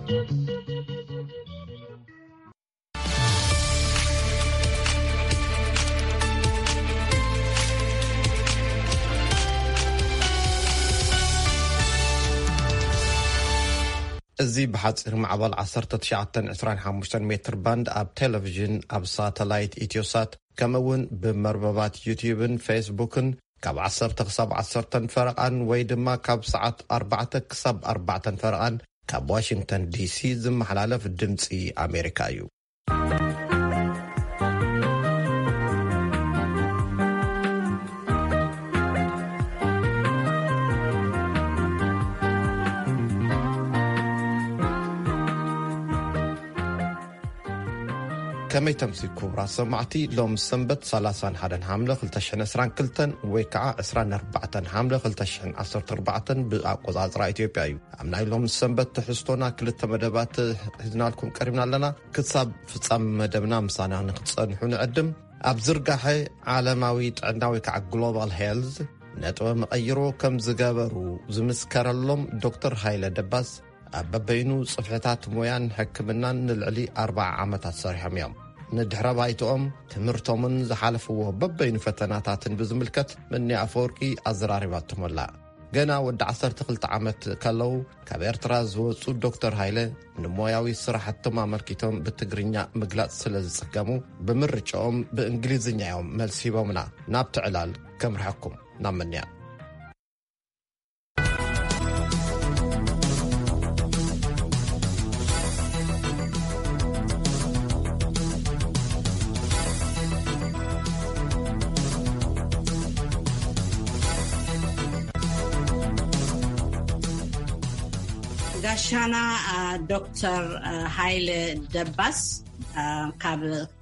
እዚ ብሓጺር ማዕበል ዓሰርተ ትሽዓተ ዕስራን ሓሙሽተን ሜትር ባንድ ኣብ ቴሌቪዥን፣ ኣብ ሳተላይት ኢትዮሳት፣ ከምኡ እውን ብመርበባት ዩትዩብን ፌስቡክን ካብ ዓሰርተ ክሳብ ዓሰርተን ፈረቓን ወይ ድማ ካብ ሰዓት ኣርባዕተ ክሳብ ኣርባዕተን ፈረቓን ካብ ዋሽንግተን ዲሲ ዝመሓላለፍ ድምጺ ኣሜሪካ እዩ። ከመይ ተምሲ ክቡራት ሰማዕቲ፣ ሎም ሰንበት ሰላሳን ሓደን ሓምለ ክልተ ሽሕን ዕስራን ክልተን ወይ ከዓ ዕስራን ኣርባዕተን ሓምለ ክልተ ሽሕን ዓሰርተ ኣርባዕተን ብኣቆጻጽራ ኢትዮጵያ እዩ። ኣብ ናይ ሎም ሰንበት ትሕዝቶና ክልተ መደባት ሒዝናልኩም ቀሪብና ኣለና። ክሳብ ፍጻመ መደብና ምሳና ንክትጸንሑ ንዕድም። ኣብ ዝርጋሐ ዓለማዊ ጥዕና ወይ ከዓ ግሎባል ሄልዝ ነጥበ መቐይሮ ከም ዝገበሩ ዝምስከረሎም ዶክተር ሃይለ ደባስ ኣብ በበይኑ ጽፍሕታት ሞያን ሕክምናን ንልዕሊ ኣርባዓ ዓመታት ሰሪሖም እዮም። ንድሕረ ባይትኦም፣ ትምህርቶምን ዝሓለፍዎ በበይኑ ፈተናታትን ብዝምልከት ምኒ ኣፈወርቂ ኣዘራሪባቶም ኣላ። ገና ወዲ ዓሰርተ ክልተ ዓመት ከለዉ ካብ ኤርትራ ዝወጹ ዶክተር ሃይለ ንሞያዊ ስራሕቶም ኣመልኪቶም ብትግርኛ ምግላጽ ስለ ዝጽገሙ ብምርጫኦም ብእንግሊዝኛ እዮም መልሲ ሂቦምና። ናብቲ ዕላል ከምርሐኩም ናብ ምንያ። ጋሻና ዶክተር ሃይለ ደባስ ካብ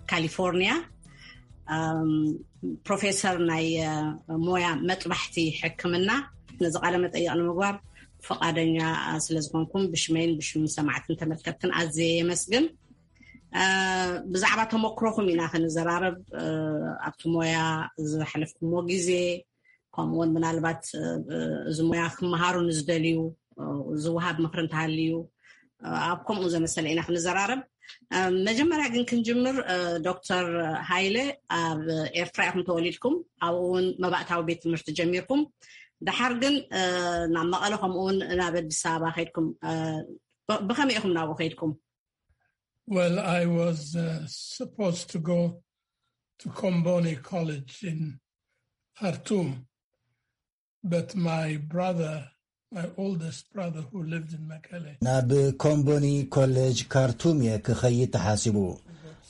ካሊፎርኒያ፣ ፕሮፌሰር ናይ ሞያ መጥባሕቲ ሕክምና፣ ነዚ ቃለ መጠይቕ ንምግባር ፈቓደኛ ስለ ዝኾንኩም ብሽመይን ብሽም ሰማዕትን ተመልከትትን ኣዝየ የመስግን። ብዛዕባ ተመክሮኹም ኢና ክንዘራረብ። ኣብቲ ሞያ ዝሓለፍኩሞ ግዜ፣ ከምኡውን ምናልባት እዚ ሞያ ክመሃሩ ንዝደልዩ ዝወሃብ ምኽሪ እንተሃልዩ ኣብ ከምኡ ዘመሰለ ኢና ክንዘራረብ። መጀመርያ ግን ክንጅምር፣ ዶክተር ሃይለ፣ ኣብ ኤርትራ ኢኹም ተወሊድኩም፣ ኣብኡ እውን መባእታዊ ቤት ትምህርቲ ጀሚርኩም። ድሓር ግን ናብ መቐለ ከምኡውን ናብ ኣዲስ ኣበባ ከይድኩም። ብኸመይ ኢኹም ናብኡ ከይድኩም? Well, I was uh, supposed to go to Komboni College in Khartoum, but my brother, my oldest brother who lived in Mekelle, ናብ ኮምቦኒ ኮሌጅ ካርቱም እየ ክኸይድ ተሓሲቡ።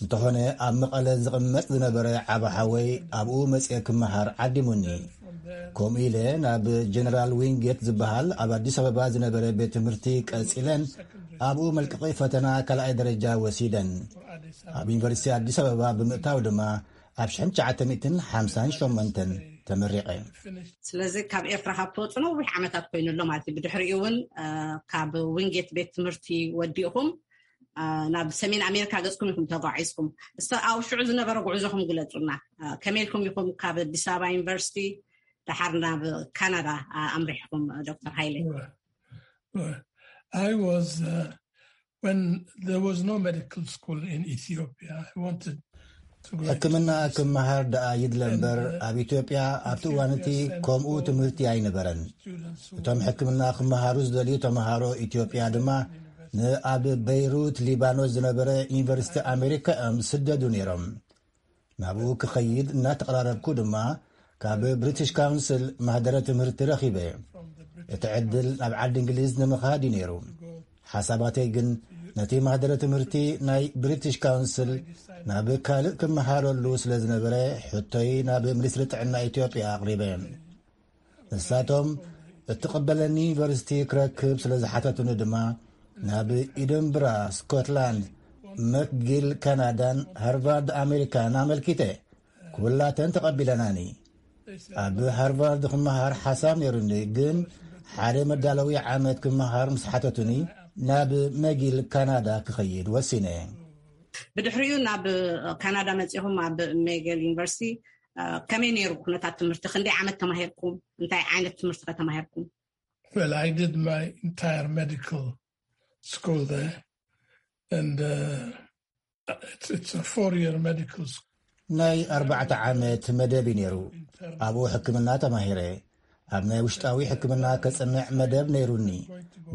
እንተኾነ ኣብ መቐለ ዝቕመጥ ዝነበረ ዓቢ ሓወይ ኣብኡ መፅየ ክመሃር ዓዲሙኒ። ከምኡ ኢለ ናብ ጀነራል ዊንጌት ዝበሃል ኣብ ኣዲስ ኣበባ ዝነበረ ቤት ትምህርቲ ቀጺለን ኣብኡ መልቀቒ ፈተና ካልኣይ ደረጃ ወሲደን። ኣብ ዩኒቨርሲቲ ኣዲስ ኣበባ ብምእታው ድማ ኣብ ሽሕን ትሽዓተ ሚእትን ሓምሳን ሸሞንተን ተመሪቐ። ስለዚ ካብ ኤርትራ ካብ ትወፁ ነዊሕ ዓመታት ኮይኑ ኣሎ ማለት እዩ። ብድሕሪኡ እውን ካብ ዊንጌት ቤት ትምህርቲ ወዲእኹም ናብ ሰሜን ኣሜሪካ ገፅኩም ኢኹም ተጓዒዝኩም። እስቲ ኣብ ሽዑ ዝነበረ ጉዕዞኹም ግለፁና። ከመይ ኢልኩም ኢኹም ካብ ኣዲስ ኣበባ ዩኒቨርሲቲ ደሓር ናብ ካናዳ ኣምሪሕኩም? ዶክተር ሃይለ። I was uh, when there was no medical school in Ethiopia. I wanted to go. ሕክምና ክመሃር ደኣ ይድለ እምበር ኣብ ኢትዮጵያ ኣብቲ እዋን እቲ ከምኡ ትምህርቲ ኣይነበረን። እቶም ሕክምና ክመሃሩ ዝደልዩ ተምሃሮ ኢትዮጵያ ድማ ንኣብ በይሩት ሊባኖስ ዝነበረ ዩኒቨርሲቲ ኣሜሪካ እዮም ዝስደዱ ነይሮም። ናብኡ ክኸይድ እናተቐራረብኩ ድማ ካብ ብሪቲሽ ካውንስል ማህደረ ትምህርቲ ረኺበ። እቲ ዕድል ናብ ዓዲ እንግሊዝ ንምኻድ እዩ ነይሩ። ሓሳባተይ ግን ነቲ ማህደረ ትምህርቲ ናይ ብሪቲሽ ካውንስል ናብ ካልእ ክመሃረሉ ስለ ዝነበረ ሕቶይ ናብ ሚኒስትሪ ጥዕና ኢትዮጵያ ኣቕሪበ። ንሳቶም እትቕበለኒ ዩኒቨርሲቲ ክረክብ ስለ ዝሓተቱኒ ድማ ናብ ኢደንብራ ስኮትላንድ፣ መክጊል ካናዳን ሃርቫርድ ኣሜሪካን ኣመልኪተ። ኩላተን ተቐቢለናኒ። ኣብ ሃርቫርድ ክመሃር ሓሳብ ነይሩኒ፣ ግን ሓደ መዳለዊ ዓመት ክመሃር ምስ ሓተቱኒ ናብ መጊል ካናዳ ክኸይድ ወሲነ። ብድሕሪኡ ናብ ካናዳ መጺኹም ኣብ ሜገል ዩኒቨርሲቲ ከመይ ነይሩ ኩነታት ትምህርቲ? ክንደይ ዓመት ተማሂርኩም? እንታይ ዓይነት ትምህርቲ ከ ተማሂርኩም? Well, I did my entire medical school there. And uh, it's, it's a four year medical school. ናይ ኣርባዕተ ዓመት መደብ እዩ ነይሩ። ኣብኡ ሕክምና ተማሂረ። ኣብ ናይ ውሽጣዊ ሕክምና ከጽንዕ መደብ ነይሩኒ፣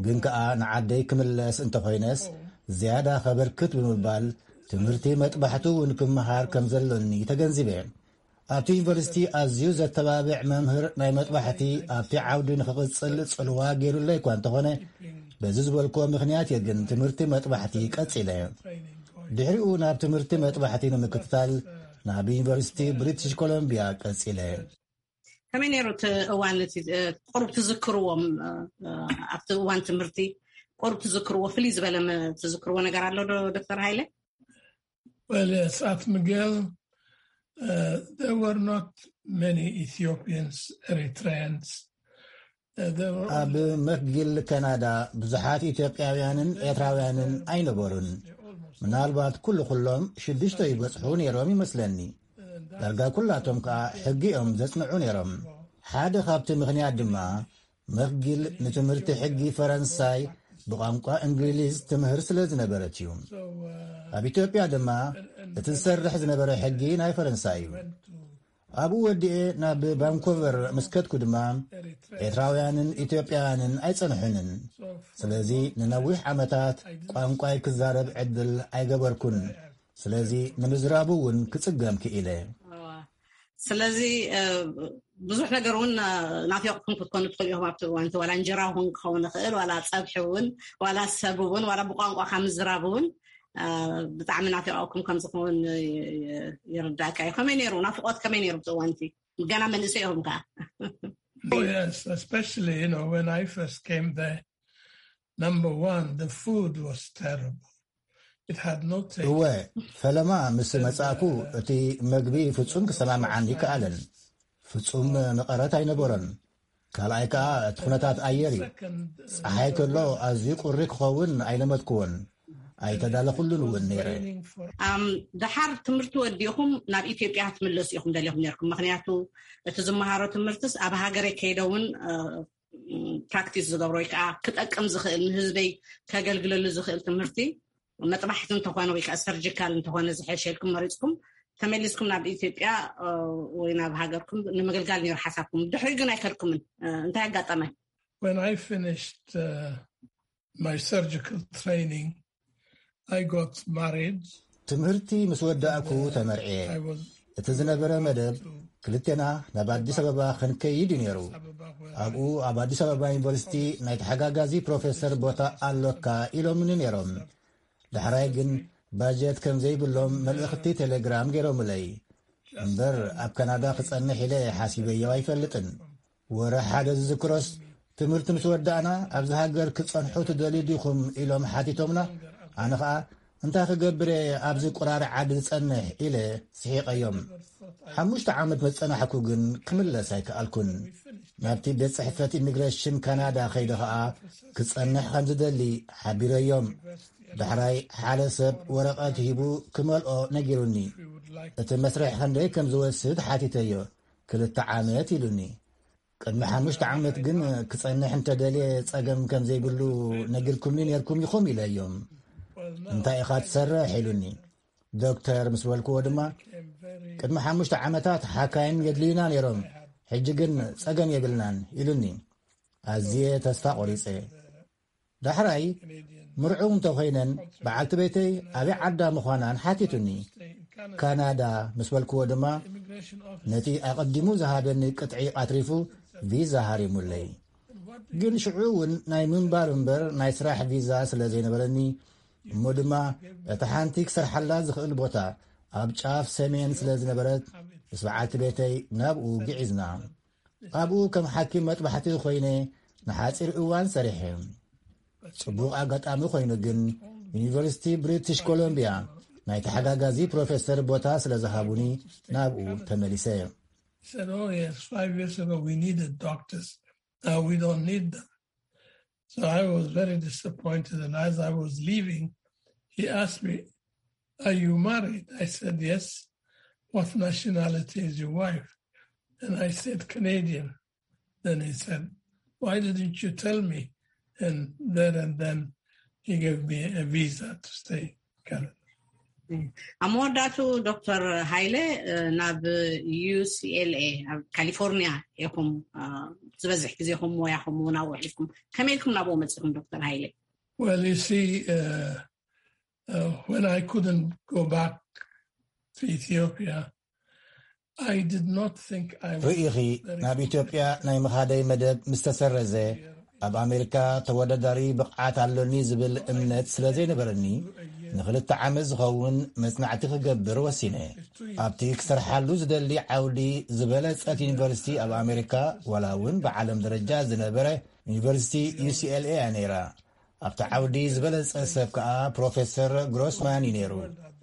ግን ከኣ ንዓደይ ክምለስ እንተኾይነስ ዝያዳ ከበርክት ብምባል ትምህርቲ መጥባሕቱ እውን ክመሃር ከም ዘሎኒ ተገንዚበ። ኣብቲ ዩኒቨርሲቲ ኣዝዩ ዘተባብዕ መምህር ናይ መጥባሕቲ ኣብቲ ዓውዲ ንኽቕጽል ጽልዋ ገይሩለይ እኳ እንተኾነ፣ በዚ ዝበልክዎ ምኽንያት እየ ግን ትምህርቲ መጥባሕቲ ቀጺለ። ድሕሪኡ ናብ ትምህርቲ መጥባሕቲ ንምክትታል ናብ ዩኒቨርሲቲ ብሪቲሽ ኮሎምቢያ ቀጺለ። ከመይ ነይሩ እቲ እዋን እቲ ቁሩብ ትዝክርዎም ኣብቲ እዋን ትምህርቲ ቁሩብ ትዝክርዎ ፍልይ ዝበለ ትዝክርዎ ነገር ኣሎ ዶ ዶክተር ሃይለ? Well, yes, at Miguel, uh, there were not many Ethiopians, Eritreans. ኣብ መክጊል ካናዳ ብዙሓት ኢትዮጵያውያንን ኤርትራውያንን ኣይነበሩን። ምናልባት ኩሉ ኩሎም ሽዱሽተ ይበጽሑ ነይሮም ይመስለኒ። ዳርጋ ኩላቶም ከኣ ሕጊ እዮም ዘጽንዑ ነይሮም። ሓደ ካብቲ ምኽንያት ድማ መክጊል ንትምህርቲ ሕጊ ፈረንሳይ ብቋንቋ እንግሊዝ ትምህር ስለ ዝነበረት እዩ። ኣብ ኢትዮጵያ ድማ እቲ ዝሰርሕ ዝነበረ ሕጊ ናይ ፈረንሳይ እዩ። ኣብኡ ወዲኤ ናብ ቫንኮቨር ምስ ከድኩ ድማ ኤርትራውያንን ኢትዮጵያውያንን ኣይጸንሑንን። ስለዚ ንነዊሕ ዓመታት ቋንቋይ ክዛረብ ዕድል ኣይገበርኩን። ስለዚ ንምዝራቡ እውን ክጽገም ክኢለ። ስለዚ ብዙሕ ነገር እውን ናፊቕኩም ክትኮኑ ትኽእሉ ኢኹም። ኣብቲ እዋን እቲ ዋላ እንጀራ እውን ክኸውን ይኽእል፣ ዋላ ፀብሒ እውን፣ ዋላ ሰብ እውን፣ ዋላ ብቋንቋ ካብ ምዝራብ እውን ብጣዕሚ ናፊቕኩም ከም ዝኸውን ይርዳእካ እዩ። ከመይ ነይሩ ናፍቖት? ከመይ ነይሩ ኣብቲ እዋን እቲ? ገና መንእሰይ ኢኹም ከዓ። Oh, yes, especially, you know, when I first came there, number one, the food was terrible. It had no taste. እወ፣ ፈለማ ምስ መጻእኩ እቲ መግቢ ፍጹም ክሰማምዓኒ ይከኣለን። ፍጹም መቐረት ኣይነበሮን። ካልኣይ ከኣ እቲ ኩነታት ኣየር እዩ። ጸሓይ ከሎ ኣዝዩ ቁሪ ክኸውን ኣይለመድኩዎን። ኣይተዳለኹሉን እውን ነይረ። ደሓር ትምህርቲ ወዲኹም ናብ ኢትዮጵያ ክትምለሱ ኢኹም ደሊኹም ነርኩም? ምክንያቱ እቲ ዝመሃሮ ትምህርትስ ኣብ ሃገረይ ከይደ እውን ፕራክቲስ ዝገብሮ ወይ ከዓ ክጠቅም ዝኽእል ንህዝበይ ከገልግለሉ ዝኽእል ትምህርቲ መጥባሕቲ እንተኾነ ወይ ከዓ ሰርጂካል እንተኾነ ዝሐሸ ኢልኩም መሪፅኩም ተመሊስኩም ናብ ኢትዮጵያ ወይ ናብ ሃገርኩም ንምግልጋል ነይሩ ሓሳብኩም። ድሕሪ ግን ኣይከድኩምን። እንታይ ኣጋጠመ? When I finished uh, my surgical training, I got married. ትምህርቲ ምስ ወዳእኩ ተመርዕየ። እቲ ዝነበረ መደብ ክልቴና ናብ ኣዲስ ኣበባ ክንከይድ እዩ ነይሩ። ኣብኡ ኣብ ኣዲስ ኣበባ ዩኒቨርሲቲ ናይ ተሓጋጋዚ ፕሮፌሰር ቦታ ኣሎካ ኢሎምኒ ነይሮም። ዳሕራይ ግን ባጀት ከም ዘይብሎም መልእኽቲ ቴሌግራም ገይሮምለይ። እምበር ኣብ ካናዳ ክጸንሕ ኢለ ሓሲበዮ ኣይፈልጥን። ወረ ሓደ ዝዝክሮስ ትምህርቲ ምስ ወዳእና ኣብዚ ሃገር ክጸንሑ ትደልዩ ዲኹም ኢሎም ሓቲቶምና። ኣነ ኸኣ እንታይ ክገብር እየ ኣብዚ ቁራሪ ዓዲ ዝጸንሕ ኢለ ስሒቐዮም። ሓሙሽተ ዓመት መጸናሕኩ ግን ክምለስ ኣይከኣልኩን። ናብቲ ቤት ጽሕፈት ኢሚግሬሽን ካናዳ ከይደ ኸኣ ክጸንሕ ከም ዝደሊ ሓቢረዮም። ዳሕራይ ሓደ ሰብ ወረቐት ሂቡ ክመልኦ ነጊሩኒ። እቲ መስርሕ ክንደይ ከም ዝወስድ ሓቲተዮ። ክልተ ዓመት ኢሉኒ። ቅድሚ ሓሙሽተ ዓመት ግን ክጸንሕ እንተደልየ ጸገም ከም ዘይብሉ ነጊርኩምኒ ነርኩም ኢኹም ኢለዮም። እንታይ ኢኻ ትሰርሕ ኢሉኒ። ዶክተር ምስ በልክዎ ድማ ቅድሚ ሓሙሽተ ዓመታት ሓካይም የድልዩና ነይሮም፣ ሕጂ ግን ጸገም የብልናን ኢሉኒ። ኣዝየ ተስፋ ቆሪጸ። ዳሕራይ ምርዑው እንተኾይነን በዓልቲ ቤተይ ኣበይ ዓዳ ምዃናን ሓቲቱኒ። ካናዳ ምስ በልክዎ ድማ ነቲ ኣቐዲሙ ዝሃበኒ ቅጥዒ ኣትሪፉ ቪዛ ሃሪሙለይ። ግን ሽዑ እውን ናይ ምንባር እምበር ናይ ስራሕ ቪዛ ስለ ዘይነበረኒ እሞ ድማ እቲ ሓንቲ ክሰርሓላ ዝኽእል ቦታ ኣብ ጫፍ ሰሜን ስለ ዝነበረት ምስ በዓልቲ ቤተይ ናብኡ ግዒዝና። ኣብኡ ከም ሓኪም መጥባሕቲ ኮይነ ንሓፂር እዋን ሰሪሐ። ጽቡቕ ኣጋጣሚ ኮይኑ ግን ዩኒቨርሲቲ ብሪቲሽ ኮሎምቢያ ናይ ተሓጋጋዚ ፕሮፌሰር ቦታ ስለ ዝሃቡኒ ናብኡ ተመሊሰ። Said, oh yes, five years ago we needed doctors. Now we don't need them. So I was very disappointed, and as I was leaving, he asked me, are you married? I said, yes. What nationality is your wife? And I said, Canadian. Then he said, why didn't you tell me? And there and then he gave me a visa to stay in Canada. ኣብ መወዳእቱ ዶክተር ሃይለ ናብ ዩ ሲ ኤል ኤ ኣብ ካሊፎርኒያ ኢኹም ዝበዝሕ ግዜኹም ሞያኹም እውን ኣብኡ ኣሕሊፍኩም። ከመይ ኢልኩም ናብኡ መፂኹም ዶክተር ሃይለ? Well, you see, uh, uh, when I couldn't go back to Ethiopia, I did not think I was ርኢኺ፣ ናብ ኢትዮጵያ ናይ ምኻደይ መደብ ምስ ተሰረዘ፣ ኣብ ኣሜሪካ ተወዳዳሪ ብቕዓት ኣሎኒ ዝብል እምነት ስለ ዘይነበረኒ፣ ንኽልተ ዓመት ዝኸውን መጽናዕቲ ክገብር ወሲነ። ኣብቲ ክሰርሓሉ ዝደሊ ዓውዲ ዝበለጸት ዩኒቨርሲቲ ኣብ ኣሜሪካ፣ ዋላ እውን ብዓለም ደረጃ ዝነበረ ዩኒቨርሲቲ ዩ ሲ ኤል ኤ እያ ነይራ። ኣብቲ ዓውዲ ዝበለጸ ሰብ ከኣ ፕሮፌሰር ግሮስማን እዩ ነይሩ።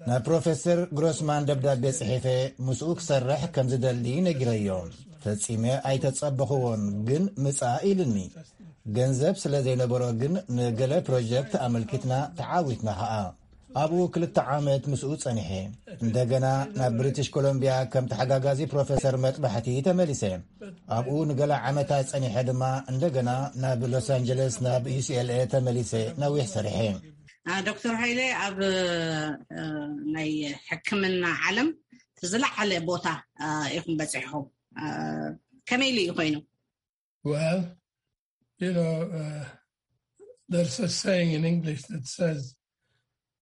ናብ ፕሮፌሰር ግሮስማን ደብዳቤ ጽሒፈ ምስኡ ክሰርሕ ከም ዝደሊ ነጊረዮ። ፈጺመ ኣይተጸበኽዎን፣ ግን ምጻእ ኢልኒ። ገንዘብ ስለ ዘይነበሮ ግን ንገለ ፕሮጀክት ኣመልኪትና ተዓዊትና ኸኣ። ኣብኡ ክልተ ዓመት ምስኡ ጸኒሐ። እንደገና ናብ ብሪቲሽ ኮሎምቢያ ከም ተሓጋጋዚ ፕሮፌሰር መጥባሕቲ ተመሊሰ። ኣብኡ ንገለ ዓመታት ጸኒሐ ድማ እንደገና ናብ ሎስ ኣንጀለስ ናብ ዩ ሲ ኤል ኤ ተመሊሰ ነዊሕ ሰሪሐ። ዶክተር ሃይለ፣ ኣብ ናይ ሕክምና ዓለም ዝለዓለ ቦታ ኢኹም በፂሕኹም። ከመይ ኢሉ እዩ ኮይኑ? Well, you know, uh, there's a saying in English that says,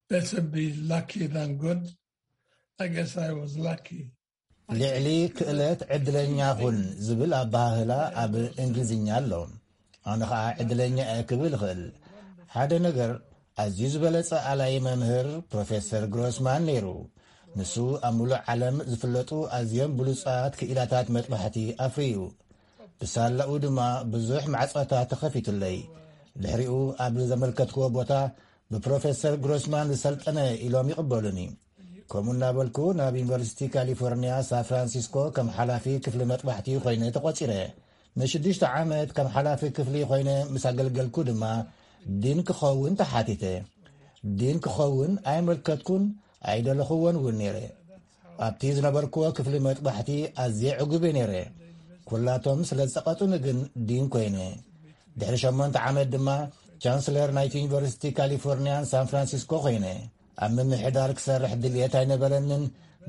"Better be lucky than good." I guess I was lucky. ልዕሊ ክእለት ዕድለኛ ኩን ዝብል ኣበሃህላ ኣብ እንግሊዝኛ ኣሎ። ኣነ ኸዓ ዕድለኛ እየ ክብል እኽእል። ሓደ ነገር፣ ኣዝዩ ዝበለጸ ኣላይ መምህር ፕሮፌሰር ግሮስማን ነይሩ። ንሱ ኣብ ምሉእ ዓለም ዝፍለጡ ኣዝዮም ብሉጻት ክኢላታት መጥባሕቲ ኣፍርዩ። ብሳላኡ ድማ ብዙሕ ማዕጾታት ተኸፊቱለይ። ድሕሪኡ ኣብ ዘመልከትክዎ ቦታ ብፕሮፌሰር ግሮስማን ዝሰልጠነ ኢሎም ይቕበሉኒ። ከምኡ እናበልኩ ናብ ዩኒቨርሲቲ ካሊፎርኒያ ሳን ፍራንሲስኮ ከም ሓላፊ ክፍሊ መጥባሕቲ ኮይነ ተቖጺረ። ንሽዱሽተ ዓመት ከም ሓላፊ ክፍሊ ኮይነ ምስ ኣገልገልኩ ድማ ዲን ክኸውን ተሓቲተ። ዲን ክኸውን ኣይመልከትኩን ኣይደለኽዎን እውን ነይረ። ኣብቲ ዝነበርክዎ ክፍሊ መጥባሕቲ ኣዝየ ዕጉብ እየ ነይረ። ኩላቶም ስለ ዝጸቐጡኒ ግን ዲን ኮይነ። ድሕሪ ሸሞንተ ዓመት ድማ ቻንስለር ናይቲ ዩኒቨርሲቲ ካሊፎርኒያን ሳን ፍራንሲስኮ ኮይነ። ኣብ ምምሕዳር ክሰርሕ ድልየት ኣይነበረንን፣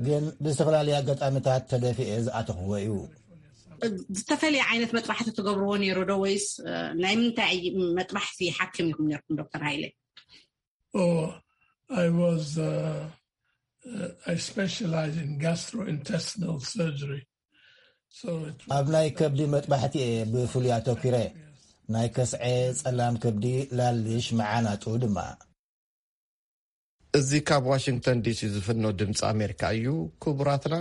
ግን ብዝተፈላለየ ኣጋጣሚታት ተደፊኤ ዝኣተኽዎ እዩ። ዝተፈለየ ዓይነት መጥባሕቲ ትገብርዎ ነይሩ ዶ ወይስ ናይ ምንታይ መጥባሕቲ ሓኪም ኢኹም ነርኩም ዶክተር ሃይለ? Oh, I was, uh, uh, I specialize in gastrointestinal surgery. So it was ኣብ ናይ ከብዲ መጥባሕቲ እየ ብፍሉይ ኣተኲረ። ናይ ከስዐ፣ ጸላም ከብዲ፣ ላልሽ፣ መዓናጡ ድማ። እዚ ካብ ዋሽንግተን ዲሲ ዝፍኖ ድምፂ ኣሜሪካ እዩ። ክቡራትና፣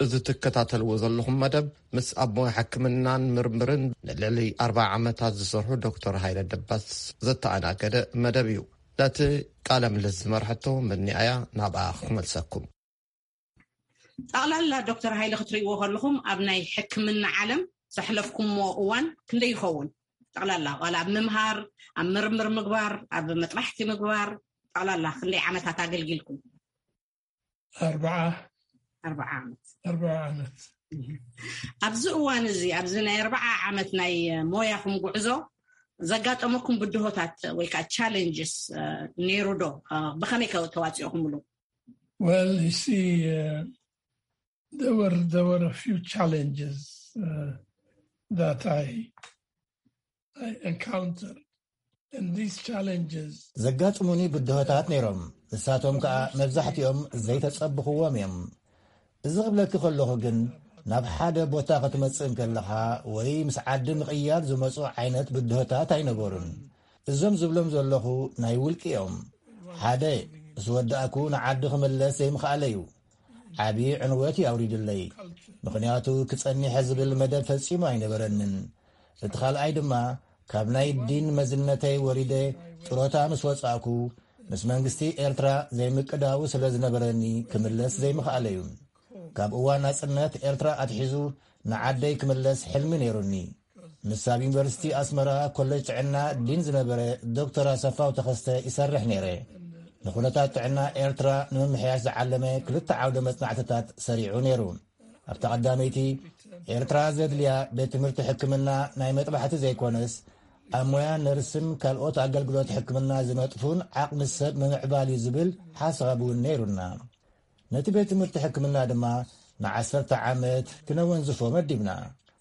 እዚ ትከታተልዎ ዘለኹም መደብ ምስ ኣብ ሞያ ሕክምናን ምርምርን ንልዕሊ ኣርባዓ ዓመታት ዝሰርሑ ዶክተር ሃይለ ደባስ ዘተኣናገደ መደብ እዩ። ነቲ ቃለ ምልልስ ዝመርሐቶ መኒኣያ ናብኣ ክመልሰኩም። ጠቕላላ ዶክተር ሃይለ ክትርእይዎ ከለኹም ኣብ ናይ ሕክምና ዓለም ዘሕለፍኩምዎ እዋን ክንደይ ይኸውን? ጠቕላላ ዋላ ኣብ ምምሃር፣ ኣብ ምርምር ምግባር፣ ኣብ መጥባሕቲ ምግባር፣ ጠቕላላ ክንደይ ዓመታት ኣገልጊልኩም? ኣርባዓ ኣርባዓ ዓመት። ኣርባዓ ዓመት። ኣብዚ እዋን እዚ፣ ኣብዚ ናይ ኣርባዓ ዓመት ናይ ሞያኹም ጉዕዞ ዘጋጠመኩም ብድሆታት ወይ ከዓ ቻሌንጅስ ነይሩ ዶ? ብኸመይ ከ ተዋፂኦኹምሉ? Well, you see, uh, there were there were a few challenges uh, that I I encountered, and these challenges ዘጋጥሙኒ ብድሆታት ነይሮም። ንሳቶም ከኣ መብዛሕትኦም ዘይተጸብኽዎም እዮም። እዚ ክብለኪ ከለኹ ግን፣ ናብ ሓደ ቦታ ክትመጽእ እንከለኻ ወይ ምስ ዓዲ ምቕያር ዝመጹ ዓይነት ብድሆታት ኣይነበሩን። እዞም ዝብሎም ዘለኹ ናይ ውልቂ እዮም። ሓደ፣ ምስ ወዳእኩ ንዓዲ ክምለስ ዘይምኽኣለ እዩ። ዓቢ ዕንወት እዩ ኣውሪዱለይ። ምኽንያቱ ክጸኒሐ ዝብል መደብ ፈጺሙ ኣይነበረንን። እቲ ካልኣይ ድማ፣ ካብ ናይ ዲን መዝነተይ ወሪደ ጥሮታ ምስ ወጻእኩ፣ ምስ መንግስቲ ኤርትራ ዘይምቅዳው ስለ ዝነበረኒ ክምለስ ዘይምኽኣለ እዩ። ካብ እዋን ናጽነት ኤርትራ ኣትሒዙ ንዓደይ ክምለስ ሕልሚ ነይሩኒ። ምስ ኣብ ዩኒቨርሲቲ ኣስመራ ኮሌጅ ጥዕና ዲን ዝነበረ ዶክተር ኣሰፋው ተኸስተ ይሰርሕ ነይረ። ንኹነታት ጥዕና ኤርትራ ንምምሕያሽ ዝዓለመ ክልተ ዓውደ መጽናዕትታት ሰሪዑ ነይሩ። ኣብታ ቀዳመይቲ፣ ኤርትራ ዘድልያ ቤት ትምህርቲ ሕክምና ናይ መጥባሕቲ ዘይኮነስ፣ ኣብ ሞያ ነርስን ካልኦት ኣገልግሎት ሕክምና ዝነጥፉን ዓቕሚ ሰብ ምምዕባል እዩ ዝብል ሓሳብ እውን ነይሩና። ነቲ ቤት ትምህርቲ ሕክምና ድማ ንዓሰርተ ዓመት ክነወንዝፎ መዲብና።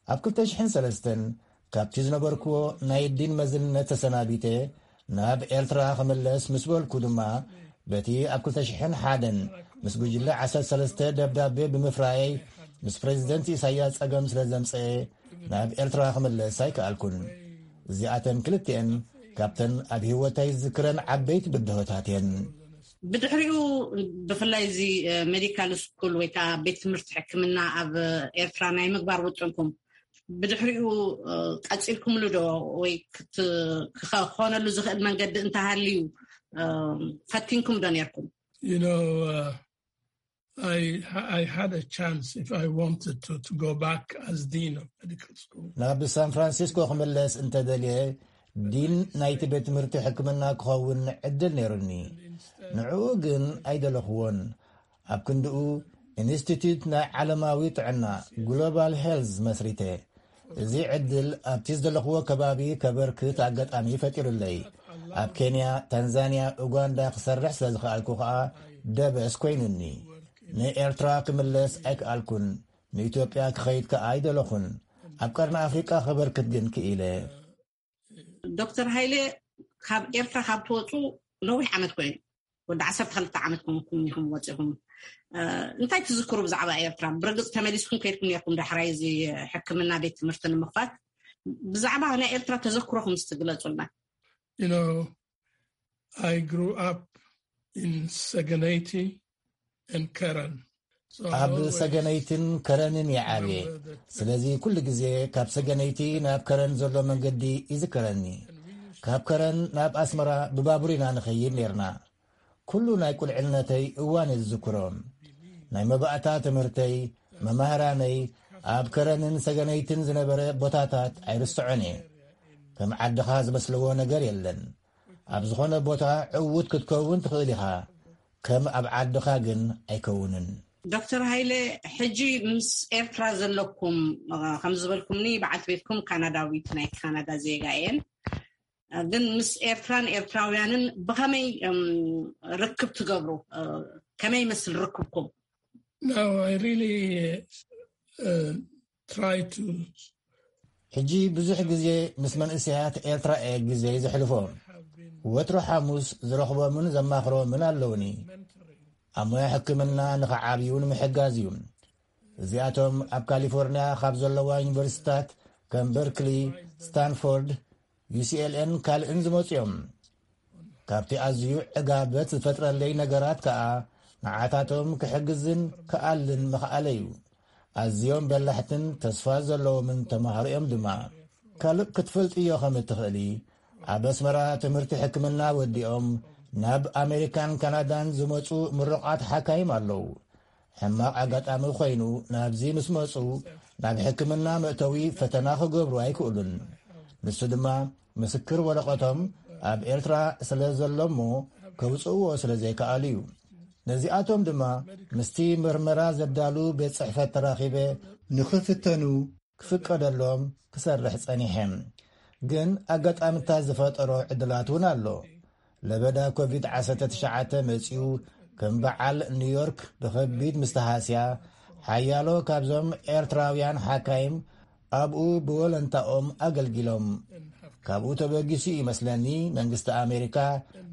ኣብ ክልተ ሽሕን ሰለስተን ካብቲ ዝነበርክዎ ናይ ዲን መዝነት ተሰናቢተ ናብ ኤርትራ ክምለስ ምስ በልኩ ድማ፣ በቲ ኣብ ክልተ ሽሕን ሓደን ምስ ጉጅለ ዓሰርተ ሰለስተ ደብዳቤ ብምፍራየይ፣ ምስ ፕሬዚደንት ኢሳያስ ጸገም ስለ ዘምጸኤ፣ ናብ ኤርትራ ክምለስ ኣይከኣልኩን። እዚኣተን ክልቲኤን ካብተን ኣብ ህይወተይ ዝዝክረን ዓበይቲ ብድሆታት እየን። ብድሕሪኡ፣ ብፍላይ እዚ ሜዲካል ስኩል ወይ ከዓ ቤት ትምህርቲ ሕክምና ኣብ ኤርትራ ናይ ምግባር ውጥንኩም፣ ብድሕሪኡ ቀፂልኩምሉ ዶ? ወይ ክኾነሉ ዝኽእል መንገዲ እንተሃልዩ ፈቲንኩም ዶ ነርኩም? You know, uh, I, I had a chance, if I wanted to, to go back as dean of medical school. ናብ ሳን ፍራንሲስኮ ክምለስ እንተደልየ፣ ዲን ናይቲ ቤት ትምህርቲ ሕክምና ክኸውን ዕድል ነይሩኒ። ንዕኡ ግን ኣይደለኽዎን። ኣብ ክንድኡ፣ ኢንስቲትዩት ናይ ዓለማዊ ጥዕና፣ ግሎባል ሄልዝ፣ መስሪተ። እዚ ዕድል ኣብቲ ዝደለኽዎ ከባቢ ከበርክት ኣጋጣሚ ፈጢሩለይ። ኣብ ኬንያ፣ ታንዛንያ፣ ኡጋንዳ ክሰርሕ ስለ ዝኸኣልኩ ከኣ ደበስ ኮይኑኒ። ንኤርትራ ክምለስ ኣይከኣልኩን። ንኢትዮጵያ ክኸይድ ከኣ ኣይደለኹን። ኣብ ቀርኒ ኣፍሪቃ ከበርክት ግን ክኢለ። ዶክተር ሃይለ፣ ካብ ኤርትራ ካብ ትወፁ ነዊሕ ዓመት ኮይኑ፣ ወዲ ዓሰርተ ክልተ ዓመት ኮንኩም ኢኹም ወፂኹም። እንታይ ትዝክሩ ብዛዕባ ኤርትራ? ብርግፅ ተመሊስኩም ከይድኩም ነርኩም ዳሕራይ እዚ ሕክምና ቤት ትምህርቲ ንምኽፋት። ብዛዕባ ናይ ኤርትራ ተዘክሮኹም እስቲ ግለፁልና። You know, I grew up in Seganeti and Karen. ኣብ ሰገነይትን ከረንን ይዓብየ። ስለዚ ኩሉ ግዜ ካብ ሰገነይቲ ናብ ከረን ዘሎ መንገዲ ይዝከረኒ። ካብ ከረን ናብ ኣስመራ ብባቡር ኢና ንኸይድ ነርና። ኩሉ ናይ ቁልዕነተይ እዋን እየ ዝዝክሮ። ናይ መባእታ ትምህርተይ፣ መማህራነይ፣ ኣብ ከረንን ሰገነይትን ዝነበረ ቦታታት ኣይርስዖን እየ። ከም ዓድኻ ዝመስልዎ ነገር የለን። ኣብ ዝኾነ ቦታ ዕዉት ክትከውን ትኽእል ኢኻ፣ ከም ኣብ ዓድኻ ግን ኣይከውንን። ዶክተር ሃይለ፣ ሕጂ ምስ ኤርትራ ዘለኩም፣ ከም ዝበልኩምኒ፣ በዓልቲ ቤትኩም ካናዳዊት፣ ናይ ካናዳ ዜጋ እየን። ግን ምስ ኤርትራን ኤርትራውያንን ብኸመይ ርክብ ትገብሩ? ከመይ ይመስል ርክብኩም? No, I really uh, try to ሕጂ ብዙሕ ግዜ ምስ መንእሰያት ኤርትራ እየ ግዜ ዘሕልፎ። ወትሮ ሓሙስ ዝረኽቦምን ዘማኽሮምን ኣለውኒ። ኣብ ሞያ ሕክምና ንኽዓብዩ ንምሕጋዝ እዩ። እዚኣቶም ኣብ ካሊፎርንያ ካብ ዘለዋ ዩኒቨርሲታት ከም በርክሊ፣ ስታንፎርድ፣ ዩ ሲ ኤል ኤን ካልእን ዝመጹ እዮም። ካብቲ ኣዝዩ ዕጋበት ዝፈጥረለይ ነገራት ከኣ ንዓታቶም ክሕግዝን ክኣልን ምኽኣለይ እዩ። ኣዝዮም በላሕትን ተስፋ ዘለዎምን ተማሃሮ እዮም ድማ። ካልእ ክትፈልጥዮ ከም እትኽእሊ፣ ኣብ ኣስመራ ትምህርቲ ሕክምና ወዲኦም ናብ ኣሜሪካን ካናዳን ዝመጹ ምሩቓት ሓካይም ኣለዉ። ሕማቕ ኣጋጣሚ ኮይኑ ናብዚ ምስ መጹ ናብ ሕክምና መእተዊ ፈተና ክገብሩ ኣይክእሉን። ንሱ ድማ ምስክር ወረቐቶም ኣብ ኤርትራ ስለ ዘሎ እሞ ከውጽእዎ ስለ ዘይከኣሉ እዩ። ነዚኣቶም ድማ ምስቲ መርመራ ዘዳሉ ቤት ጽሕፈት ተራኺበ ንኽፍተኑ ክፍቀደሎም ክሰርሕ ጸኒሐ። ግን ኣጋጣምታት ዝፈጠሮ ዕድላት እውን ኣሎ። ለበዳ ኮቪድ ዓሰርተ ትሽዓተ መጺኡ ከም በዓል ኒውዮርክ ብኸቢድ ምስ ተሃስያ፣ ሓያሎ ካብዞም ኤርትራውያን ሓካይም ኣብኡ ብወለንታኦም ኣገልጊሎም። ካብኡ ተበጊሱ ይመስለኒ መንግስቲ ኣሜሪካ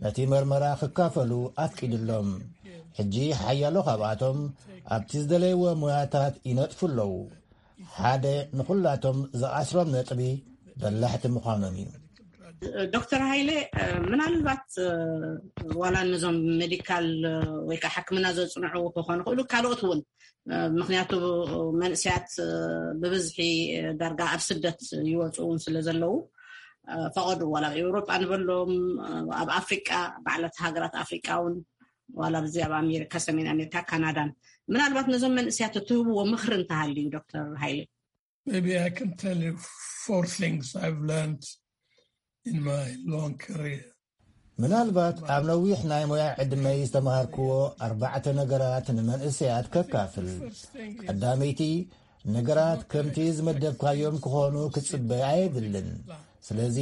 ነቲ መርመራ ክካፈሉ ኣፍቂድሎም። ሕጂ ሓያሎ ካብኣቶም ኣብቲ ዝደለይዎ ሞያታት ይነጥፉ ኣለዉ። ሓደ ንኹላቶም ዝኣስሮም ነጥቢ በላሕቲ ምዃኖም እዩ። ዶክተር ሃይለ፣ ምናልባት ዋላ ነዞም ሜዲካል ወይ ከዓ ሕክምና ዘፅንዑ ክኾኑ ይኽእሉ፣ ካልኦት እውን፣ ምክንያቱ መንእሰያት ብብዝሒ ዳርጋ ኣብ ስደት ይወፁ እውን ስለ ዘለዉ፣ ፈቐዱ ዋላ ኣብ ኤውሮጳ ንበሎም፣ ኣብ ኣፍሪቃ፣ ባዕላት ሃገራት ኣፍሪቃ እውን፣ ዋላ ብዚ ኣብ ኣሜሪካ፣ ሰሜን ኣሜሪካ፣ ካናዳን፣ ምናልባት ነዞም መንእሰያት እትህብዎ ምኽሪ እንተሃልዩ? ዶክተር ሃይለ። Maybe I can tell you four things I've learned in my long career. ምናልባት ኣብ ነዊሕ ናይ ሞያ ዕድመይ ዝተምሃርክዎ ኣርባዕተ ነገራት ንመንእሰያት ከካፍል። ቀዳመይቲ፣ ነገራት ከምቲ ዝመደብካዮም ክኾኑ ክትጽበ ኣየድልን። ስለዚ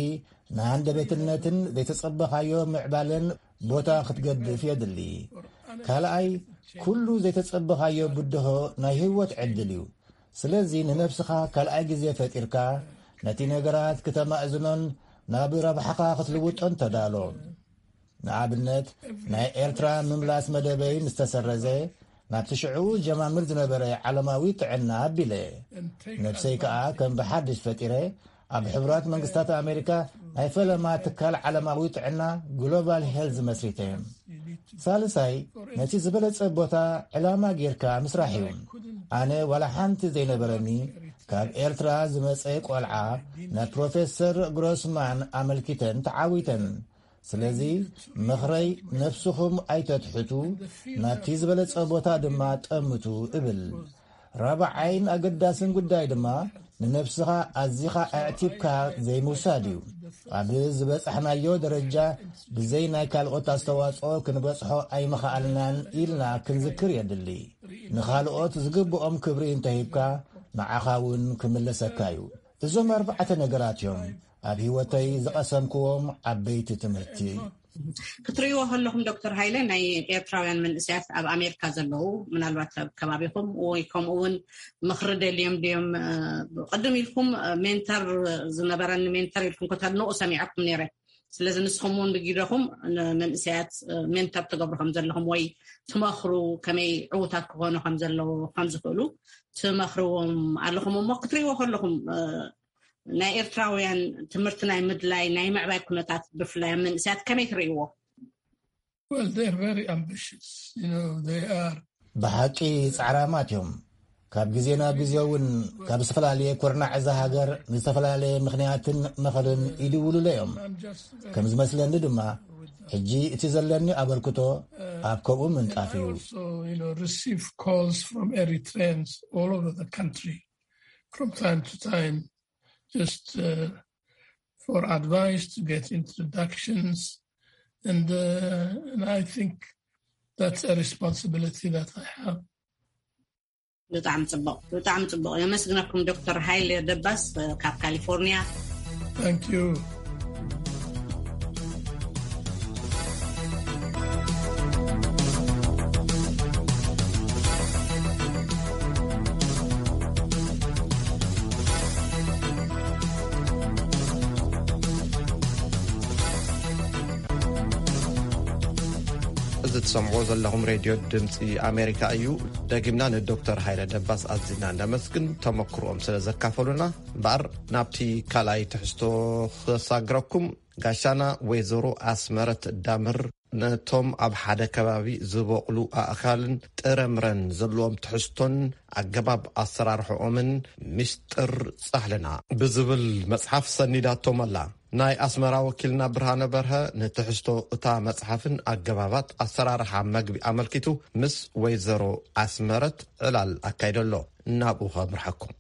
ንሃንደበትነትን ዘይተጸበኻዮ ምዕባለን ቦታ ክትገድፍ የድሊ። ካልኣይ፣ ኩሉ ዘይተጸበኻዮ ብድሆ ናይ ህይወት ዕድል እዩ። ስለዚ ንነብስኻ ካልኣይ ግዜ ፈጢርካ ነቲ ነገራት ክተማእዝኖን ናብ ረብሓኻ ክትልውጦን ተዳሎ። ንኣብነት፣ ናይ ኤርትራ ምምላስ መደበይ ምስ ተሰረዘ፣ ናብቲ ሽዑ ጀማምር ዝነበረ ዓለማዊ ጥዕና ኣቢለ። ነብሰይ ከኣ ከም ብሓድሽ ፈጢረ፣ ኣብ ሕቡራት መንግስታት ኣሜሪካ ናይ ፈለማ ትካል ዓለማዊ ጥዕና ግሎባል ሄልዝ መስሪተ። ሳልሳይ፣ ነቲ ዝበለጸ ቦታ ዕላማ ጌርካ ምስራሕ እዩ። ኣነ ዋላ ሓንቲ ዘይነበረኒ ካብ ኤርትራ ዝመጸ ቆልዓ ናብ ፕሮፌሰር ግሮስማን ኣመልኪተን ተዓዊተን። ስለዚ ምኽረይ፣ ነብስኹም ኣይተትሕቱ፣ ናብቲ ዝበለጸ ቦታ ድማ ጠምቱ እብል። ራብዓይን ኣገዳስን ጉዳይ ድማ ንነብስኻ ኣዚኻ ኣዕቲብካ ዘይምውሳድ እዩ። ኣብ ዝበጻሕናዮ ደረጃ ብዘይ ናይ ካልኦት ኣስተዋጽኦ ክንበጽሖ ኣይምኸኣልናን ኢልና ክንዝክር የድሊ። ንኻልኦት ዝግብኦም ክብሪ እንተሂብካ፣ ንዓኻ እውን ክምለሰካ እዩ። እዞም ኣርባዕተ ነገራት እዮም ኣብ ህይወተይ ዝቐሰምክዎም ዓበይቲ ትምህርቲ። ክትርእይዎ ከለኹም ዶክተር ሃይለ፣ ናይ ኤርትራውያን መንእሰያት ኣብ ኣሜሪካ ዘለዉ፣ ምናልባት ኣብ ከባቢኹም ወይ ከምኡ እውን ምኽሪ ደልዮም ድዮም? እ፣ ቅድም ኢልኩም፣ እ፣ ሜንተር ዝነበረኒ ሜንተር ኢልኩም ከተድንቑ ሰሚዐኩም ነይረ። ስለዚ ንስኹም እውን ብጊደኹም ንመንእሰያት፣ እ፣ ሜንተር ትገብሩ ከም ዘለኹም ወይ ትመኽሩ፣ ከመይ ዕዉታት ክኾኑ ከም ዘለዉ፣ ከም ዝኽእሉ ትመኽርዎም ኣለኹም። እሞ ክትርእይዎ ከለኹም፣ እ፣ ናይ ኤርትራውያን ትምህርቲ ናይ ምድላይ ናይ ምዕባይ ኩነታት ብፍላይ ኣብ መንእሰያት ከመይ ትርእይዎ? Well, they're very ambitious. You know, they are ብሓቂ ጻዕራማት እዮም። ካብ ግዜ ናብ ግዜ እውን ካብ ዝተፈላለየ ኩርናዕ እዛ ሃገር ብዝተፈላለየ ምኽንያትን ምኽርን ይድውሉለ እዮም። ከም ዝመስለኒ ድማ ሕጂ እቲ ዘለኒ ኣበርክቶ ኣብ ከምኡ ምንጣፍ እዩ። Also, you know, receive calls from Eritreans all over the country from time to time, just, uh, for advice, to get introductions. And, uh, and I think that's a responsibility that I have. ብጣዕሚ ጽቡቕ፣ ብጣዕሚ ጽቡቕ። የመስግነኩም ዶክተር ሃይለ ደባስ፣ እ፣ ካብ ካሊፎርኒያ። Thank you. እዚ ትሰምዕዎ ዘለኹም ሬድዮ ድምፂ ኣሜሪካ እዩ። ደጊምና ንዶክተር ሃይለ ደባስ ኣዚና እንዳመስግን፣ ተመክሮኦም ስለ ዘካፈሉና። እምበኣር ናብቲ ካልኣይ ትሕዝቶ ክሳግረኩም። ጋሻና ወይዘሮ ኣስመረት ዳምር ነቶም ኣብ ሓደ ከባቢ ዝበቕሉ ኣእኻልን ጥረምረን ዘለዎም ትሕዝቶን ኣገባብ ኣሰራርሕኦምን ምስጢር ጻሕልና ብዝብል መጽሓፍ ሰኒዳቶም ኣላ። ናይ ኣስመራ ወኪልና ብርሃነ በርሀ ንትሕዝቶ እታ መጽሓፍን ኣገባባት ኣሰራርሓ መግቢ ኣመልኪቱ ምስ ወይዘሮ ኣስመረት ዕላል ኣካይደሎ። ናብኡ ከምርሐኩም።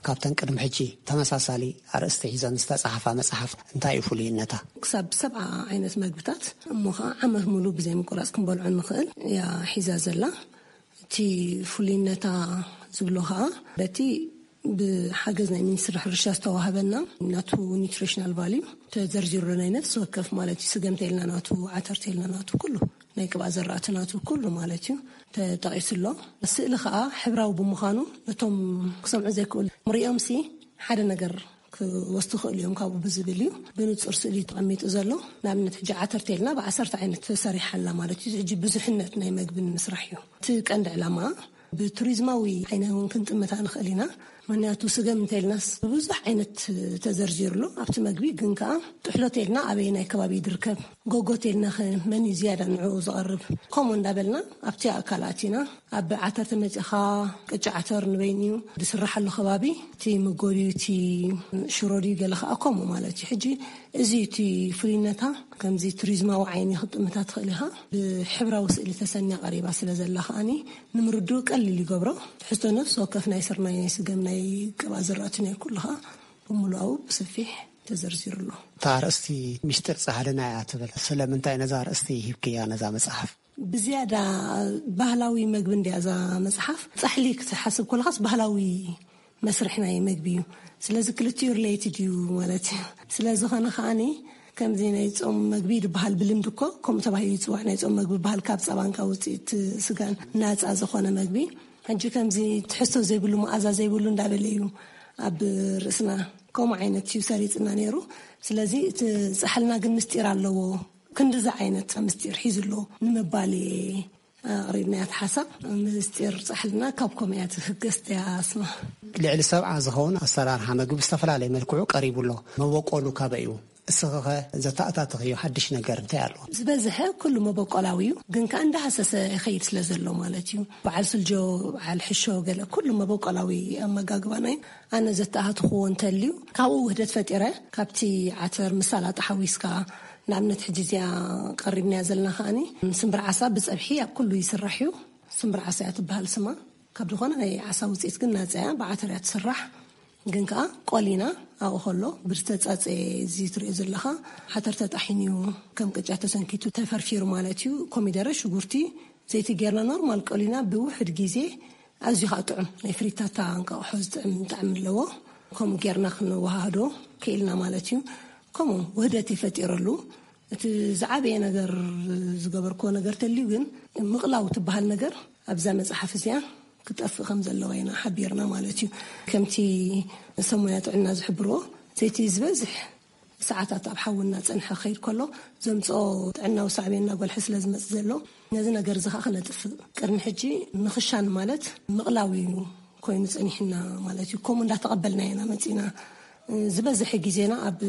ካብተን ቅድሚ ሕጂ ተመሳሳሊ ኣርእስቲ ሒዘን ዝተጻሕፋ መጽሓፍ እንታይ እዩ ፍሉይነታ? ክሳብ ሰብዓ ዓይነት መግብታት እሞ ኸዓ ዓመት ሙሉ ብዘይ ምቁራጽ ክንበልዖ ንኽእል እያ ሒዛ ዘላ። እቲ ፍሉይነታ ዝብሎ ኸዓ በቲ ብሓገዝ ናይ ሚኒስትሪ ሕርሻ ዝተዋህበና ናቱ ኒትሪሽናል ቫልዩ ተዘርዚሩ፣ ናይ ነፍሲ ወከፍ ማለት እዩ። ስገም ተይልና ናቱ፣ ዓተር ተይልና ናቱ፣ ኩሉ ናይ ቅብኣ ዘራእቲ ናቱ ኩሉ ማለት እዩ ተጠቒሱ ኣሎ። ስእሊ ኸዓ ሕብራዊ ብምዃኑ ነቶም ክሰምዑ ዘይክእሉ ሪኦምሲ ሓደ ነገር ክወስዱ ይኽእሉ እዮም ካብኡ ብዝብል እዩ ብንጹር ስእሊ ተቐሚጡ ዘሎ። ንኣብነት ሕጂ ዓተር ተይልና ብዓሰርተ ዓይነት ተሰሪሓ ኣላ ማለት እዩ። እዚ ሕጂ ብዙሕነት ናይ መግቢ ንምስራሕ እዩ እቲ ቀንዲ ዕላማ። ብቱሪዝማዊ ዓይነ እውን ክንጥምታ ንኽእል ኢና። ምኽንያቱ ስገም እንተኢልናስ ብዙሕ ዓይነት ተዘርዚሩ ኣሎ ኣብቲ መግቢ፣ ግን ከኣ ጥሕሎ ተይልና ኣበየናይ ከባቢ ይድርከብ፣ ጎጎ ተይልና ከ መን እዩ ዝያዳ ንዕኡ ዝቐርብ፣ ከምኡ እንዳበልና ኣብቲ ኣእካል ኣቲና። ኣብ ዓተር ተመጺኻ ቅጫ ዓተር ንበይኑ እዩ ዝስራሓሉ ከባቢ፣ እቲ መጎድዩ እቲ ሽሮ ድዩ ገለ ከኣ ከምኡ ማለት እዩ። ሕጂ እዚ እቲ ፍሉይነታ ከምዚ ቱሪዝማዊ ዓይኒ ክትጥምታ ትኽእል ኢኻ። ብሕብራዊ ስእሊ ተሰንያ ቀሪባ ስለ ዘላ ከኣኒ ንምርድኡ ቀሊል ይገብሮ። ትሕዝቶ ነፍሲ ወከፍ ናይ ስርናይ፣ ናይ ስገም፣ ናይ ቅብኣ ዝራእቲ፣ ናይ ኩሉ ከኣ ብምሉኣኡ ብሰፊሕ ተዘርዚሩ ኣሎ። እታ ኣርእስቲ ሚስጢር ጻሕልና እያ ትብል። ስለምንታይ ነዛ ኣርእስቲ ሂብክያ ነዛ መጽሓፍ? ብዝያዳ ባህላዊ መግቢ እንድያ እዛ መጽሓፍ። ጻሕሊ ክትሓስብ ከለኻስ ባህላዊ መስርሕ ናይ መግቢ እዩ። ስለዚ ክልቲኡ ሪሌትድ እዩ ማለት እዩ። ስለዝኾነ ከዓኒ ከምዚ ናይ ጾም መግቢ ዝበሃል ብልምዲ እኮ ከምኡ ተባሂሉ ይጽዋዕ። ናይ ጾም መግቢ ዝበሃል ካብ ጸባን ካብ ውጽኢት ስጋን ናጻ ዝኾነ መግቢ። ሕጂ ከምዚ ትሕዝቶ ዘይብሉ፣ መኣዛ ዘይብሉ እንዳበለ እዩ ኣብ ርእስና ከምኡ ዓይነት እዩ ሰሪጽና ነይሩ። ስለዚ እቲ ጻሕልና ግን ምስጢር ኣለዎ። ክንድዚ ዓይነት ምስጢር ሒዙ ኣሎ ንምባል እየ ኣቕሪብናያ። እቲ ሓሳብ ምስጢር ጻሕልና ካብ ከምኡ እያ ትህገስ እያ ኣስማ። ልዕሊ ሰብዓ ዝኸውን ኣሰራርሓ መግቢ ብዝተፈላለየ መልክዑ ቀሪቡ ኣሎ። መበቆሉ ካበይ እዩ? እስኺኸ ዘተኣታተኽዮ ሓድሽ ነገር እንታይ ኣሎ? ዝበዝሐ ኩሉ መበቆላዊ እዩ፣ ግን ከኣ እንዳሃሰሰ ይኸይድ ስለ ዘሎ ማለት እዩ። በዓል ስልጆ፣ በዓል ሕሾ፣ ገለ ኩሉ መበቆላዊ ኣመጋግባና እዩ። ኣነ ዘተኣታተኽዎ እንተልዩ ካብኡ ውህደት ፈጢረ፣ ካብቲ ዓተር ምስ ሰላጣ ሓዊስካ፣ ንኣብነት ሕጂ እዚኣ ቀሪብናያ ዘለና ከኣኒ ስምብር ዓሳ ብጸብሒ ኣብ ኩሉ ይስራሕ እዩ። ስምብር ዓሳ እያ ትበሃል ስማ። ካብ ዝኾነ ናይ ዓሳ ውፅኢት ግን ናፃ እያ፣ ብዓተር እያ ትስራሕ። ግን ከዓ ቆሊና ኣብኡ ከሎ ብዝተፃፀየ እዚ ትሪኦ ዘለኻ ዓተር ተጣሒኑ እዩ፣ ከም ቅጫ ተሰንኪቱ ተፈርፊሩ ማለት እዩ። ኮሚደረ፣ ሽጉርቲ፣ ዘይቲ ጌርና ኖርማል ቆሊና ብውሕድ ግዜ ኣዝዩ ከዓ ጥዑም ናይ ፍሪታታ እንቃቑሖ ዝጥዕም ጣዕሚ ኣለዎ። ከምኡ ጌርና ክንወሃህዶ ክኢልና ማለት እዩ። ከምኡ ውህደት ይፈጢረሉ። እቲ ዝዓበየ ነገር ዝገበርክዎ ነገር ተልዩ ግን ምቕላው ትበሃል ነገር ኣብዛ መጽሓፍ እዚኣ ክጠፍእ ከም ዘለዎ ኢና ሓቢርና ማለት እዩ። ከምቲ ሰብ ሞያ ጥዕና ዝሕብርዎ ዘይቲ ዝበዝሕ ሰዓታት ኣብ ሓዊ እናጸንሐ ክኸይድ ከሎ ዘምጽኦ ጥዕናዊ ሳዕቤን እናጎልሐ ስለ ዝመጽእ ዘሎ ነዚ ነገር እዚ ኸዓ ክነጥፍእ ቅድሚ ሕጂ ንኽሻን ማለት ምቕላው እዩ ኮይኑ ጸኒሕና ማለት እዩ። ከምኡ እንዳተቐበልና ኢና መጺና። ዝበዝሐ ግዜና ኣብ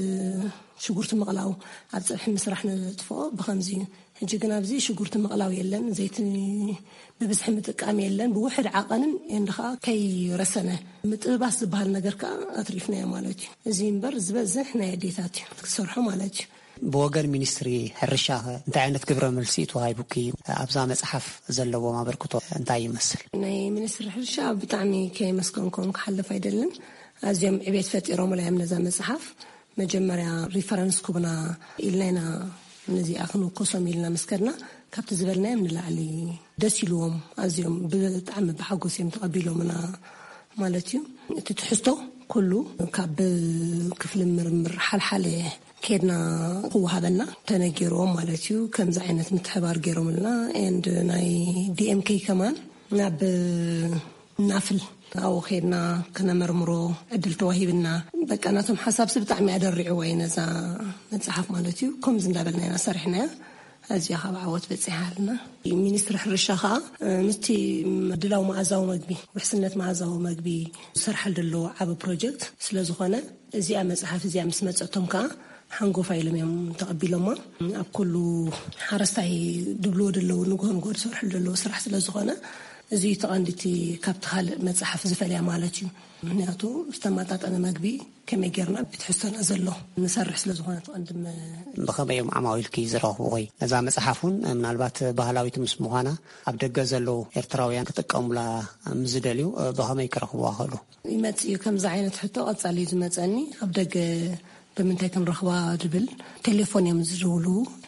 ሽጉርቲ ምቕላው፣ ኣብ ጸብሒ ምስራሕ ነጥፍኦ ብኸምዚ እዩ። ሕጂ ግን ኣብዚ ሽጉርቲ ምቕላው የለን፣ ዘይቲ ብብዝሒ ምጥቃም የለን፣ ብውሕድ ዓቐንን ኤንድ ኸዓ ከይረሰነ ምጥብባስ ዝበሃል ነገር ከኣ ኣትሪፍናዮ ማለት እዩ። እዚ እምበር ዝበዝሕ ናይ ኣዴታት እዩ ክትሰርሖ ማለት እዩ። ብወገን ሚኒስትሪ ሕርሻኸ እንታይ ዓይነት ግብረ መልሲ እዩ ተዋሂቡኪ ኣብዛ መጽሓፍ ዘለዎም ኣበርክቶ እንታይ ይመስል? ናይ ሚኒስትሪ ሕርሻ ብጣዕሚ ከየመስገንኩም ክሓልፍ ኣይደልን። ኣዝዮም ዕቤት ፈጢሮምላ እዮም ነዛ መጽሓፍ። መጀመርያ ሪፈረንስ ኩብና ኢልና ኢና ነዚኣ ክንውከሶም ኢልና ምስ ከድና ካብቲ ዝበልናዮም ንላዕሊ ደስ ኢልዎም ኣዝዮም ብጣዕሚ ብሓጎስ እዮም ተቐቢሎምና ማለት እዩ። እቲ ትሕዝቶ ኩሉ ካብ ክፍሊ ምርምር ሓልሓለ ኬድና ክወሃበና ተነጊርዎም ማለት እዩ። ከምዚ ዓይነት ምትሕባር ገይሮምልና ኤንድ ናይ ዲኤምኬ ከማን ናብ ናፍል ኣብኡ ኬድና ክነመርምሮ ዕድል ተዋሂብና። በቃ ናቶም ሓሳብሲ ብጣዕሚ ኣደሪዕዋ እዩ ነዛ መጽሓፍ ማለት እዩ። ከምዚ እንዳበልና ኢና ሰሪሕናያ። ኣዚኣ ካብ ዓወት በጺሓ ኣለና። ሚኒስትሪ ሕርሻ ኸኣ ምስቲ ድላው መኣዛዊ መግቢ፣ ውሕስነት መኣዛዊ መግቢ ዝሰርሓሉ ዘሎ ዓቢ ፕሮጀክት ስለ ዝኾነ እዚኣ መጽሓፍ እዚኣ ምስ መጸቶም ከኣ ሓንጎፋ ኢሎም እዮም ተቐቢሎማ። ኣብ ኩሉ ሓረስታይ ድብልዎ ደለዉ ንግሆ ንግሆ ዝሰርሑ ደለዉ ስራሕ ስለ ዝኾነ እዚ እዩ ተቐንዲቲ ካብቲ ካልእ መጽሓፍ ዝፈልያ ማለት እዩ። ምክንያቱ ዝተመጣጠነ መግቢ ከመይ ጌርና ብትሕዝቶና ዘሎ ንሰርሕ ስለ ዝኾነ ተቐንድም። ብኸመይ እዮም ዓማዊልኪ ዝረኽቡ ወይ ነዛ መጽሓፍ እውን ምናልባት ባህላዊት ምስ ምዃና ኣብ ደገ ዘለዉ ኤርትራውያን ክጥቀሙላ ምስ ዝደልዩ ብኸመይ ክረኽቡዋ ክእሉ? ይመጽእ እዩ። ከምዚ ዓይነት ሕቶ ቀጻሊ እዩ ዝመጸኒ። ኣብ ደገ ብምንታይ ክንረኽባ ዝብል ቴሌፎን እዮም ዝድውሉ።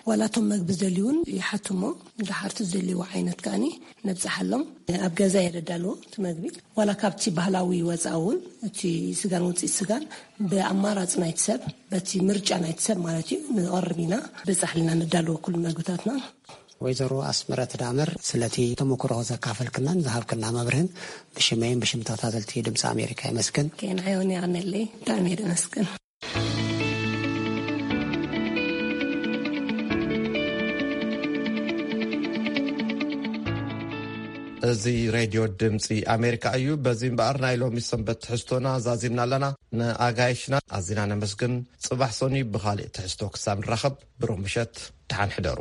ዋላ እቶም መግቢ ዝደልዩ እውን ይሓቱ እሞ፣ ድሓርቲ ዝደልይዎ ዓይነት ከኣኒ ነብጽሓሎም። ኣብ ገዛ እየ ደዳልዎ እቲ መግቢ። ዋላ ካብቲ ባህላዊ ወጻኢ እውን፣ እቲ ስጋን ውጽኢት ስጋን ብኣማራጺ ናይቲ ሰብ፣ በቲ ምርጫ ናይቲ ሰብ ማለት እዩ፣ ንቐርብ ኢና። ብጻሕልና ነዳልዎ ኩሉ መግብታትና። ወይዘሮ ኣስመረት ዳመር፣ ስለቲ ተመክሮ ዘካፈልክናን ዝሃብክና መብርህን ብሽመይን ብሽም ተኸታተልቲ ድምፂ ኣሜሪካ የመስግን። ኬንዓዮን የቐነለይ። ብጣዕሚ እየ ደመስግን። እዚ ሬድዮ ድምፂ ኣሜሪካ እዩ። በዚ እምበኣር ናይ ሎሚ ሰንበት ትሕዝቶና ዛዚምና ኣለና። ንኣጋይሽና ኣዚና ነመስግን። ጽባሕ ሰኑይ ብኻልእ ትሕዝቶ ክሳብ ንራኸብ ብሩህ ምሸት፣ ደሓን ሕደሩ።